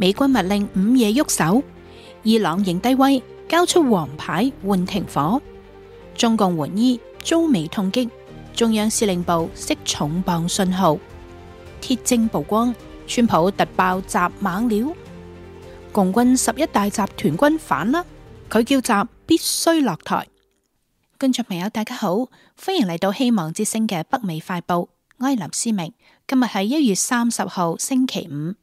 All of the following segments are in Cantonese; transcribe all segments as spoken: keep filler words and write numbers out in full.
美軍密令午夜喐手，伊朗認低威，交出黃牌換停火。中共援伊遭美痛擊，中央司令部釋重磅信號。鐵證曝光，川普突爆習猛料。共軍十一大集團軍反啦，佢叫習必須落台。觀眾朋友大家好，歡迎嚟到希望之聲嘅北美快報，我係林思明。今日係一月三十號星期五。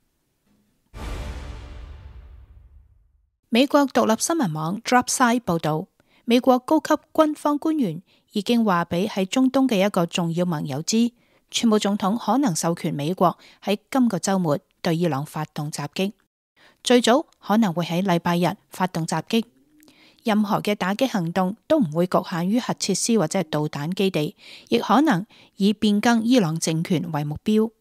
美國獨立新聞網 Dropside 報道，美國高級軍方官員已經話俾喺中東嘅一個重要盟友知，川普總統可能授權美國喺今個週末對伊朗發動襲擊，最早可能會喺禮拜日發動襲擊。任何嘅打擊行動都唔會局限於核設施或者係導彈基地，亦可能以變更伊朗政權為目標。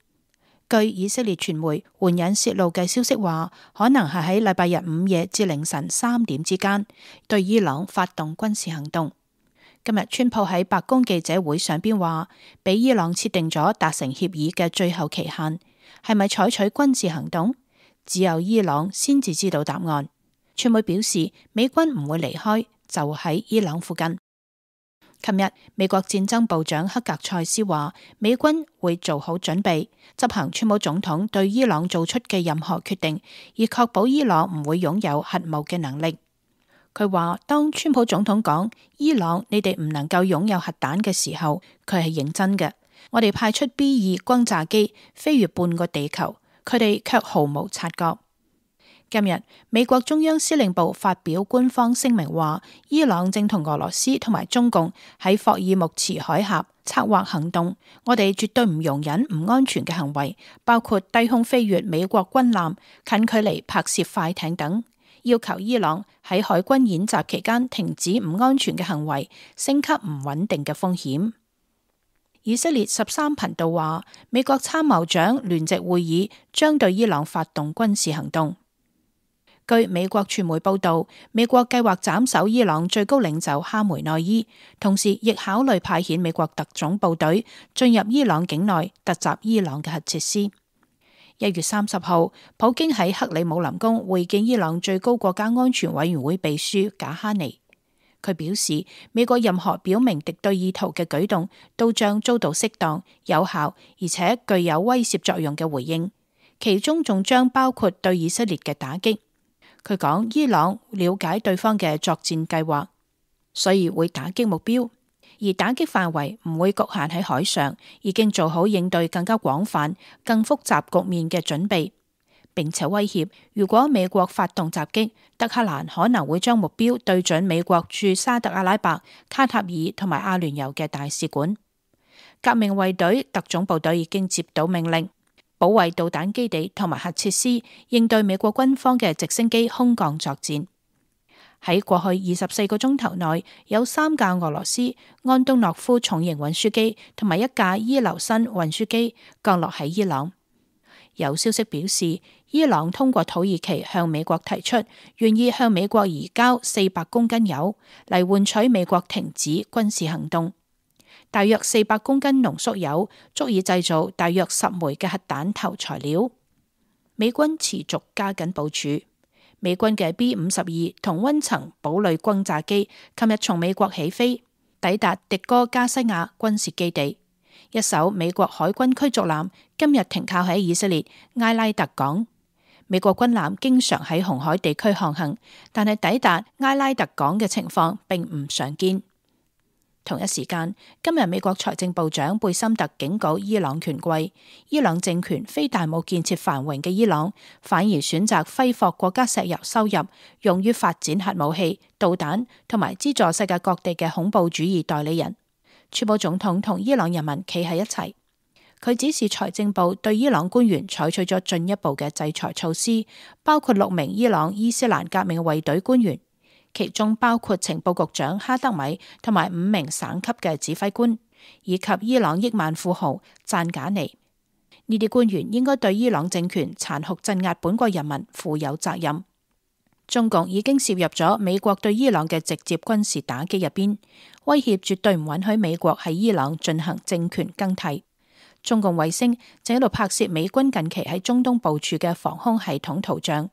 據以色列傳媒援引泄露嘅消息話，可能係喺禮拜日午夜至凌晨三點之間對伊朗發動軍事行動。今日川普喺白宮記者會上邊話，俾伊朗設定咗達成協議嘅最後期限，係咪採取軍事行動，只有伊朗先至知道答案。傳媒表示，美軍唔會離開，就喺伊朗附近。琴日，美國戰爭部長克格塞斯話，美軍會做好準備，執行川普總統對伊朗做出嘅任何決定，以確保伊朗唔會擁有核武嘅能力。佢話，當川普總統講伊朗你哋唔能夠擁有核彈嘅時候，佢係認真嘅。我哋派出 B 二轟炸機飛越半個地球，佢哋卻毫無察覺。今日，美國中央司令部發表官方聲明話，伊朗正同俄羅斯同埋中共喺霍爾木茲海峽策劃行動，我哋絕對唔容忍唔安全嘅行為，包括低空飛越美國軍艦、近距離拍攝快艇等，要求伊朗喺海軍演習期間停止唔安全嘅行為，升級唔穩定嘅風險。以色列十三頻道話，美國參謀長聯席會議將對伊朗發動軍事行動。據美國傳媒報道，美國計劃斬首伊朗最高領袖哈梅內伊，同時亦考慮派遣美國特種部隊進入伊朗境內突襲伊朗嘅核設施。一月三十號，普京喺克里姆林宮會見伊朗最高國家安全委員會秘書賈哈尼，佢表示，美國任何表明敵對意圖嘅舉動都將遭到適當、有效而且具有威懾作用嘅回應，其中仲將包括對以色列嘅打擊。佢講，伊朗了解對方嘅作戰計劃，所以會打擊目標，而打擊範圍唔會局限喺海上，已經做好應對更加廣泛、更複雜局面嘅準備，並且威脅，如果美國發動襲擊，德黑蘭可能會將目標對準美國駐沙特阿拉伯、卡塔爾同埋阿聯酋嘅大使館。革命衛隊特種部隊已經接到命令，保衛導彈基地同埋核設施，應對美國軍方嘅直升機空降作戰。喺過去二十四個鐘頭內，有三架俄羅斯安東諾夫重型運輸機同埋一架伊留申運輸機降落喺伊朗。有消息表示，伊朗通過土耳其向美國提出，願意向美國移交四百公斤鈾嚟換取美國停止軍事行動。大約四百公斤濃縮鈾足以製造大約十枚嘅核彈頭材料。美軍持續加緊部署，美軍嘅 B 五十二同溫層堡壘轟炸機琴日從美國起飛，抵達迪哥加西亞軍事基地。一艘美國海軍驅逐艦今日停靠喺以色列埃拉特港。美國軍艦經常喺紅海地區航行，但係抵達埃拉特港嘅情況並唔常見。同一時間，今日美國財政部長貝森特警告伊朗權貴，伊朗政權非但冇建設繁榮嘅伊朗，反而選擇揮霍國家石油收入，用於發展核武器、導彈同埋資助世界各地嘅恐怖主義代理人。川普總統同伊朗人民企喺一齊，佢指示財政部對伊朗官員採取咗進一步嘅制裁措施，包括六名伊朗伊斯蘭革命衛隊官員。其中包括情報局長哈德米同埋五名省級嘅指揮官，以及伊朗億萬富豪贊賈尼。呢啲官員應該對伊朗政權殘酷鎮壓本國人民負有責任。中共已經涉入咗美國對伊朗嘅直接軍事打擊入邊，威脅絕對唔允許美國喺伊朗進行政權更替。中共衛星正喺度拍攝美軍近期喺中東部署嘅防空系統圖像。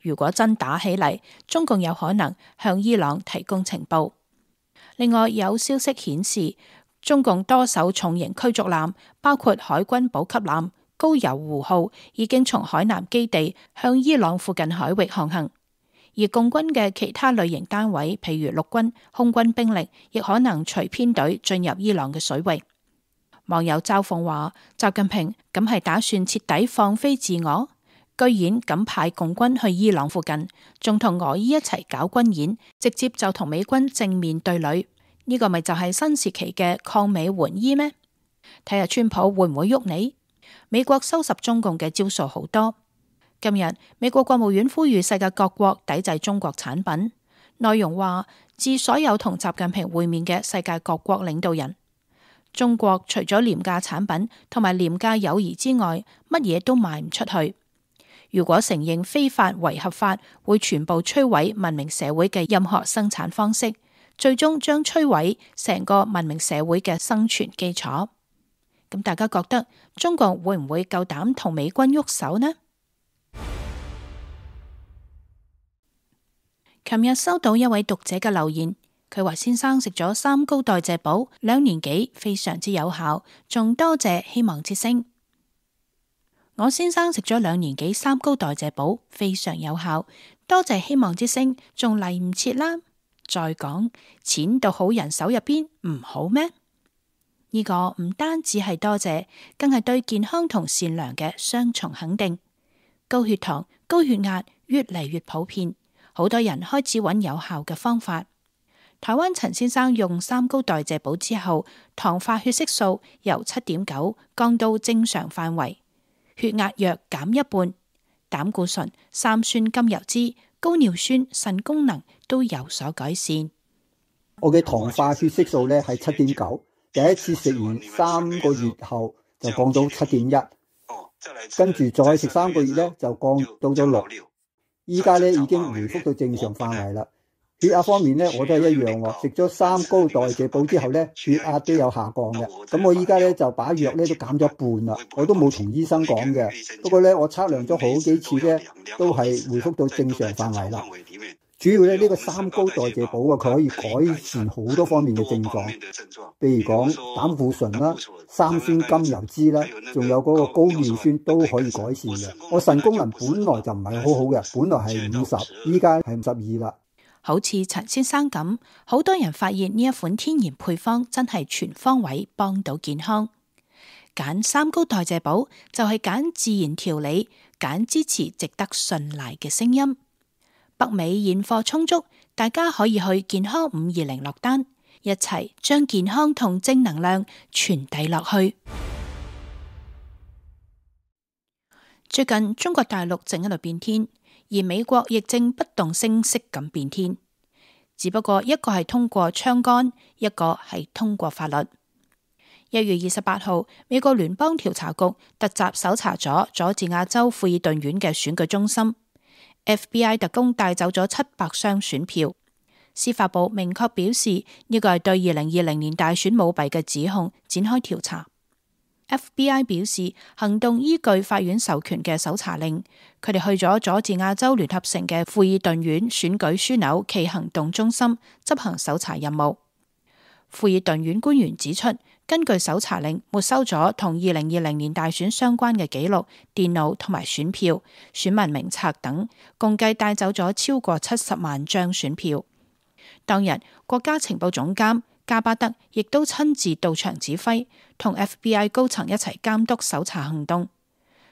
如果真打起嚟，中共有可能向伊朗提供情報。另外有消息顯示，中共多艘重型驅逐艦，包括海軍補給艦高油湖號，已經從海南基地向伊朗附近海域航行。而共軍嘅其他類型單位，譬如陸軍、空軍兵力，亦可能隨編隊進入伊朗嘅水域。網友嘲諷話：習近平咁係打算徹底放飛自我，居然咁派共軍去伊朗附近，仲同俄伊一齊搞軍演，直接就同美軍正面對壘。呢、這個咪就係新時期嘅抗美援伊咩？睇下川普會唔會喐你？美國收拾中共嘅招數好多。今日美國國務院呼籲世界各國抵制中國產品，內容話致所有同習近平會面嘅世界各國領導人，中國除咗廉價產品同埋廉價友誼之外，乜嘢都賣唔出去。如果承認非法為合法，會全部摧毀文明社會嘅任何生產方式，最終將摧毀成個文明社會嘅生存基礎。咁大家覺得中國會唔會夠膽同美軍喐手呢？琴日收到一位讀者嘅留言，佢話先生食咗三高代謝寶兩年幾，非常之有效，仲多謝希望之聲。我先生食咗兩年幾三高代謝寶，非常有效，多謝希望之聲，仲嚟唔切啦。再講錢到好人手入邊唔好咩？呢個唔單止係多謝，更係對健康同善良嘅雙重肯定。高血糖、高血壓越嚟越普遍。好多人開始揾有效嘅方法。台灣陳先生用三高代謝寶之後，糖化血色素由七點九降到正常範圍，血壓約減一半，膽固醇、三酸甘油酯、高尿酸、腎功能都有所改善。我嘅糖化血色素咧係七點九，第一次食完三個月後就降到七點一，跟住再食三個月咧就降到咗六。依家咧已經回復到正常範圍啦。血壓方面咧，我都係一樣喎。食咗三高代謝寶之後咧，血壓都有下降嘅。咁我依家咧就把藥咧都減咗一半啦。我都冇同醫生講嘅。不過咧，我測量咗好幾次咧，都係回復到正常範圍啦。主要咧呢個三高代謝寶啊，佢可以改善好多方面嘅症狀，譬如講膽固醇啦、三酸甘油酯啦，仲有嗰個高尿酸都可以改善嘅。我腎功能本來就唔係好好嘅，本來係五十，依家係五十二啦。好似陳先生咁，好多人發現呢一款天然配方真係全方位幫到健康。揀三高代謝寶就係揀自然調理，揀支持值得信賴嘅聲音。北美現貨充足，大家可以去健康五二零落單，一齊將健康同正能量傳遞落去。最近中國大陸正喺度變天，而美國亦正不動聲色咁變天，只不過一個係通過槍桿，一個係通過法律。一月二十八號，美國聯邦調查局突襲搜查咗佐治亞州富爾頓縣嘅選舉中心。F B I 特工帶走咗七百箱選票，司法部明確表示呢個係對二零二零年大選舞弊嘅指控展開調查。F B I 表示行動依據法院授權嘅搜查令，佢哋去咗佐治亞州聯合城嘅富爾頓縣選舉樞紐暨行動中心執行搜查任務。富爾頓縣官員指出，根據搜查令，沒收咗同二零二零年大選相關嘅記錄、電腦同埋選票、選民名冊等，共計帶走咗超過七十萬張選票。當日，國家情報總監加巴德亦都親自到場指揮，同 F B I 高層一齊監督搜查行動。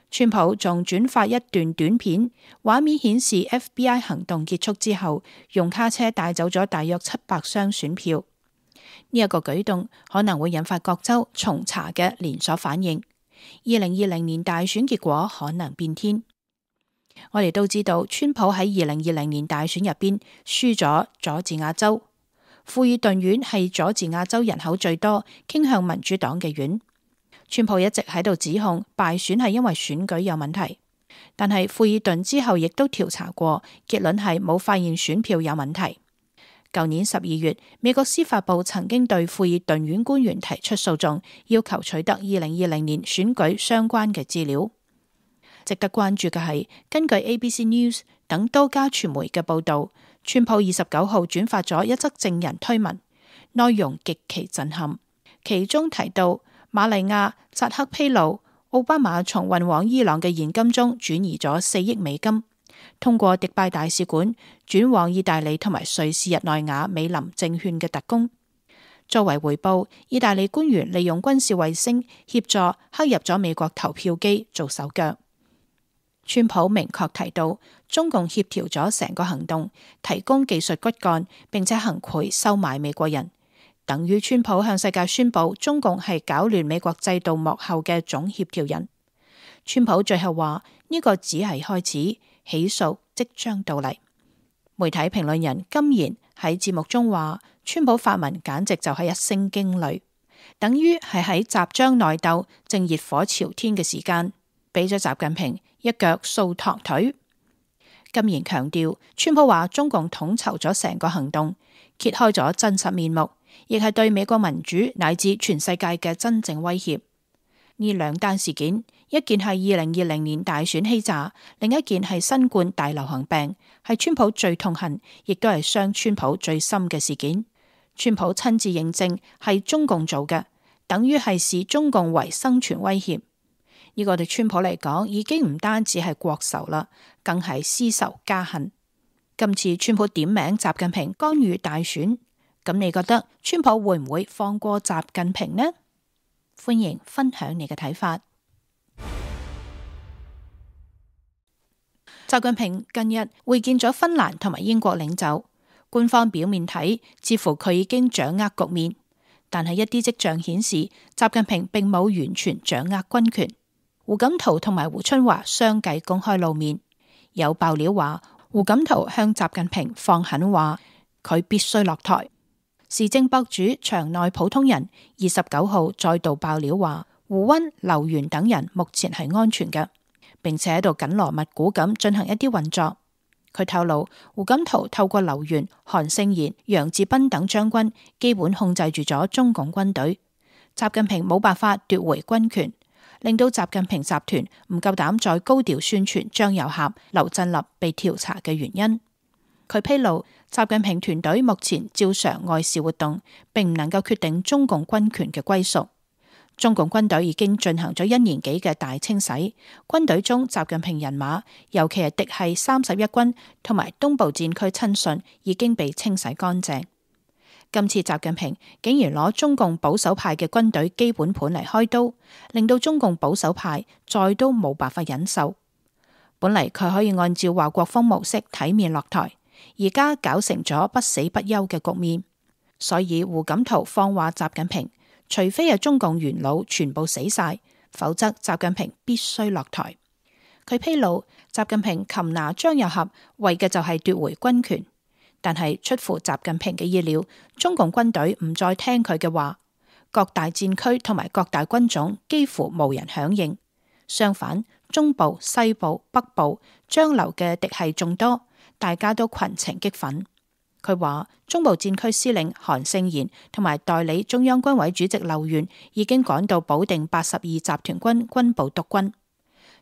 川普仲轉發一段短片，畫面顯示 F B I 行動結束之後，用卡車帶走咗大約七百箱選票。呢一個舉動可能會引發各州重查嘅連鎖反應，二零二零年大選結果可能變天。我哋都知道，川普喺二零二零年大選入邊輸咗佐治亞州，富爾頓縣係佐治亞州人口最多、傾向民主黨嘅縣。川普一直喺度指控敗選係因為選舉有問題，但係富爾頓之後亦都調查過，結論係冇發現選票有問題。舊年十二月，美國司法部曾經對庫爾頓縣官員提出訴訟，要求取得二零二零年選舉相關嘅資料。值得關注嘅係，根據 A B C News 等多家傳媒嘅報導，川普二十九號轉發咗一則證人推文，內容極其震撼。其中提到瑪麗亞扎克披露，奧巴馬從運往伊朗嘅現金中轉移咗四億美金，通過迪拜大使館轉往意大利同埋瑞士日內瓦美林證券嘅特工。作為回報，意大利官員利用軍事衛星協助黑入咗美國投票機做手腳。川普明確提到，中共協調咗成個行動，提供技術骨幹，並且行賄收買美國人，等於川普向世界宣布中共係搞亂美國制度幕後嘅總協調人。川普最後話呢個只係開始，起訴即將到嚟。媒體評論人金賢喺節目中話，川普發文簡直就係一聲驚雷，等於係喺習張內鬥正熱火朝天嘅時間，俾咗習近平一腳掃堂腿。金賢強調，川普話中共統籌咗成個行動，揭開咗真實面目，亦係對美國民主乃至全世界嘅真正威脅。呢兩單事件，一件係二零二零年大選欺詐，另一件係新冠大流行病，係川普最痛恨，亦都係傷川普最深嘅事件。川普親自認證係中共做嘅，等於係視中共為生存威脅。呢個對川普嚟講，已經唔單止係國仇啦，更係私仇家恨。今次川普點名習近平干預大選，咁你覺得川普會唔會放過習近平呢？歡迎分享你嘅睇法。習近平近日會見咗芬蘭同埋英國領袖，官方表面睇似乎佢已經掌握局面，但係一啲跡象顯示習近平並冇完全掌握軍權。胡錦濤同埋胡春華相繼公開露面，有爆料話胡錦濤向習近平放狠話，佢必須落台。時政博主場內普通人二十九號再度爆料話，胡溫、劉源等人目前係安全嘅，並且喺度緊鑼密鼓咁進行一啲運作。佢透露，胡錦濤透過劉源、韓勝賢、楊志斌等將軍，基本控制住咗中共軍隊，習近平冇辦法奪回軍權，令到習近平集團唔夠膽再高調宣傳張又俠、劉振立被調查嘅原因。佢披露，習近平團隊目前照常外事活動，並唔能夠決定中共軍權嘅歸屬。中共軍隊已經進行咗一年幾嘅大清洗，軍隊中習近平人馬，尤其係嫡系三十一軍同埋東部戰區親信，已經被清洗乾淨。今次習近平竟然攞中共保守派嘅軍隊基本盤嚟開刀，令到中共保守派再都冇辦法忍受。本嚟佢可以按照華國鋒模式體面落台，而家搞成咗不死不休嘅局面。所以胡錦濤放話習近平，除非係中共元老全部死晒，否則習近平必須落台。佢披露，習近平擒拿張又俠為嘅就係奪回軍權，但係出乎習近平嘅意料，中共軍隊唔再聽佢嘅話，各大戰區同埋各大軍種幾乎無人響應。相反，中部、西部、北部張劉嘅嫡系眾多，大家都群情激憤。佢話中部戰區司令韓勝賢同埋代理中央軍委主席劉源已經趕到保定八十二集團軍軍部督軍。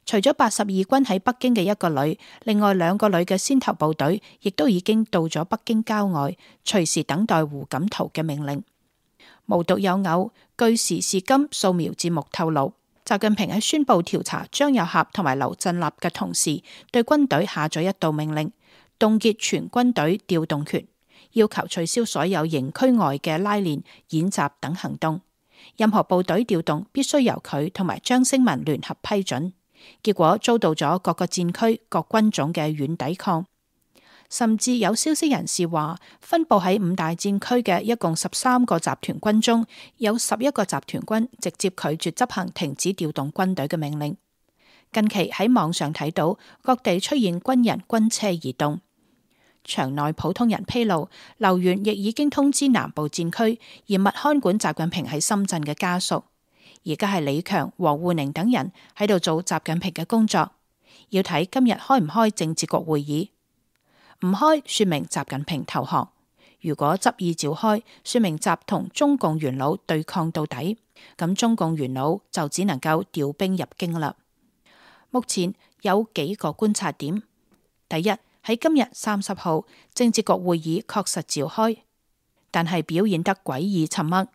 除咗八十二軍喺北京嘅一個旅，另外兩個旅嘅先頭部隊亦都已經到咗北京郊外，隨時等待胡錦濤嘅命令。無獨有偶，據時事今掃描節目透露，習近平喺宣布調查張又俠同埋劉振立嘅同時，對軍隊下咗一道命令，凍結全軍隊調動權，要求取消所有營區外嘅拉練、演習等行動。任何部隊調動必須由佢同埋張升民聯合批准。結果遭到咗各個戰區、各軍種嘅軟抵抗。甚至有消息人士話，分佈喺五大戰區嘅一共十三個集團軍中，有十一個集團軍直接拒絕執行停止調動軍隊嘅命令。近期喺網上睇到各地出現軍人軍車移動。場內普通人披露，劉源亦已經通知南部戰區嚴密看管習近平喺深圳嘅家屬。而家係李強、王滬寧等人喺度做習近平嘅工作，要睇今日開唔開政治局會議。唔開，說明習近平投降；如果執意召開，說明習同中共元老對抗到底，咁中共元老就只能夠調兵入京啦。目前有幾個觀察點：第一，喺今日三十號政治局會議確實召開，但係表現得詭異沉默，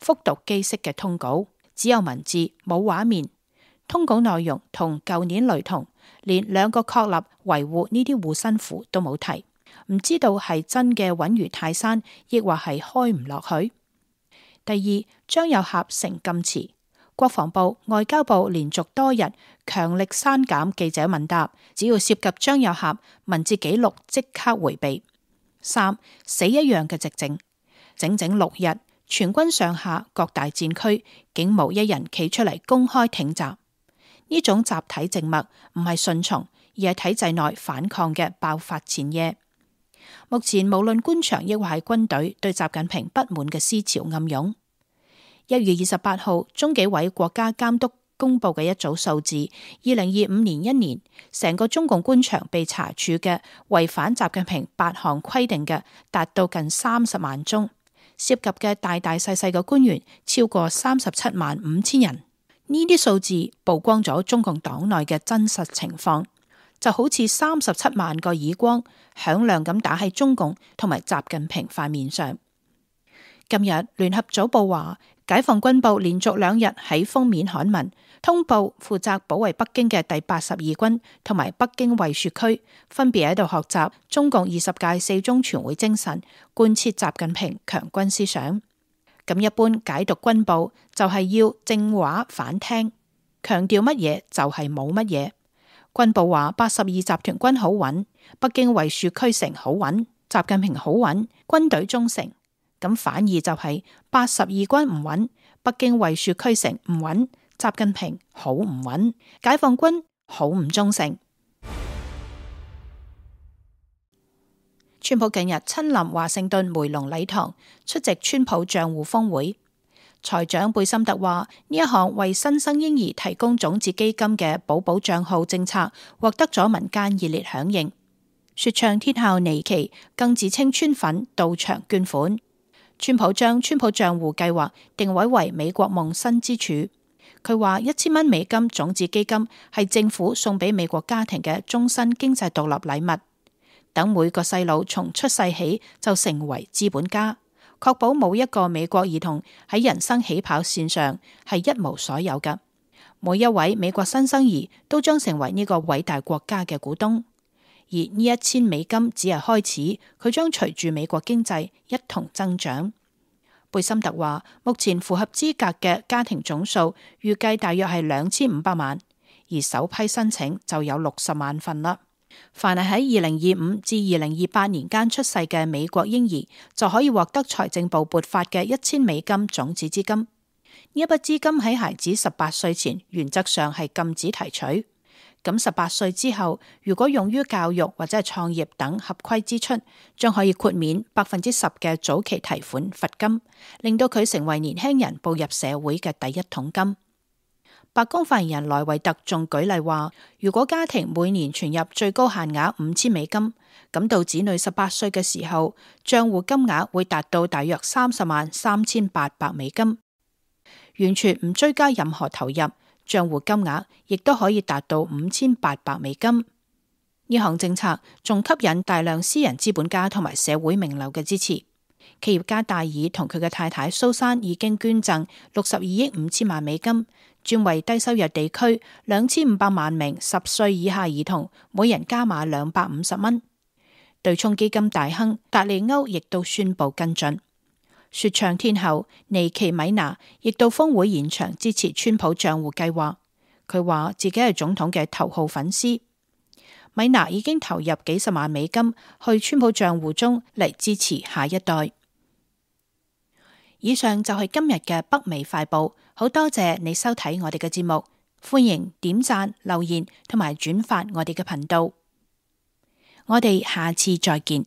復讀機式嘅通稿，只有文字冇畫面，通稿內容同舊年雷同，連兩個確立維護呢啲護身符都冇提。唔知道係真嘅穩如泰山，亦或係開唔落去。第二，張又俠成禁詞，國防部、外交部連續多日強力刪減記者問答，只要涉及張又俠文字記錄即刻回避。三，死一樣嘅寂靜，整整六日，全軍上下各大戰區竟無一人企出嚟公開挺襲。呢種集體靜默唔係順從，而係體制內反抗嘅爆發前夜。目前無論官場抑或係軍隊對習近平不滿嘅思潮暗湧。一月二十八號，中紀委國家監督公布嘅一組數字，二零二五年一年，成個中共官場被查處嘅違反習近平八項規定嘅，達到近三十萬宗，涉及嘅大大細細嘅官員超過三十七萬五千人。呢啲數字曝光咗中共黨內嘅真實情況，就好似三十七萬個耳光響亮咁打喺中共同埋習近平塊面上。今日聯合早報話，解放軍報連續兩日喺封面刊文通報，負責保衛北京嘅第八十二軍同埋北京衛戍區分別喺度學習中共二十屆四中全會精神，貫徹習近平強軍思想。咁一般解讀軍報就係要正話反聽，強調乜嘢就係冇乜嘢。軍報話八十二集團軍好穩，北京衛戍區城好穩，習近平好穩，軍隊忠誠。咁反義就係八十二軍唔穩，北京衛戍區城唔穩，習近平好唔穩，解放軍好唔忠誠。川普近日親臨華盛頓梅隆禮堂出席川普賬戶峰會，財長貝森特話呢一項為新生嬰兒提供種子基金嘅寶寶賬號政策獲得咗民間熱烈響應。說唱天后尼奇更自稱川粉到場捐款。川普將川普賬戶計劃定位為美國夢新支柱。佢話一千蚊美金種子基金係政府送俾美國家庭嘅終身經濟獨立禮物，等每個細路從出世起就成為資本家，確保冇一個美國兒童喺人生起跑線上係一無所有嘅。每一位美國新生兒都將成為呢個偉大國家嘅股東。而呢一千美金只係開始，佢將隨住美國經濟一同增長。貝森特話，目前符合資格嘅家庭總數預計大約係兩千五百萬，而首批申請就有六十萬份啦。凡係喺二零二五至二零二八年間出世嘅美國嬰兒，就可以獲得財政部撥發嘅一千美金種子資金。呢一筆資金喺孩子十八歲前，原則上係禁止提取。咁十八歲之後，如果用於教育或者係創業等合規支出，將可以豁免百分之十嘅早期提款罰金，令到佢成為年輕人步入社會嘅第一桶金。白宮發言人萊維特仲舉例話，如果家庭每年存入最高限額五千美金，咁到子女十八歲嘅時候，賬戶金額會達到大約三十萬三千八百美金，完全唔追加任何投入。賬戶金額亦都可以達到五千八百美金。呢項政策仲吸引大量私人資本家同埋社會名流嘅支持。企業家戴爾同佢嘅太太蘇珊已經捐贈六十二億五千萬美金，專為低收入地區兩千五百萬名十歲以下兒童每人加碼兩百五十蚊。對沖基金大亨達利歐亦都宣布跟進。說唱天后尼奇米娜亦到峰會現場支持川普賬戶計劃。佢話自己係總統嘅頭號粉絲。米娜已經投入幾十萬美金去川普賬戶中嚟支持下一代。以上就係今日嘅北美快報，好多謝你收睇我哋嘅節目，歡迎點讚、留言同埋轉發我哋嘅頻道。我哋下次再見。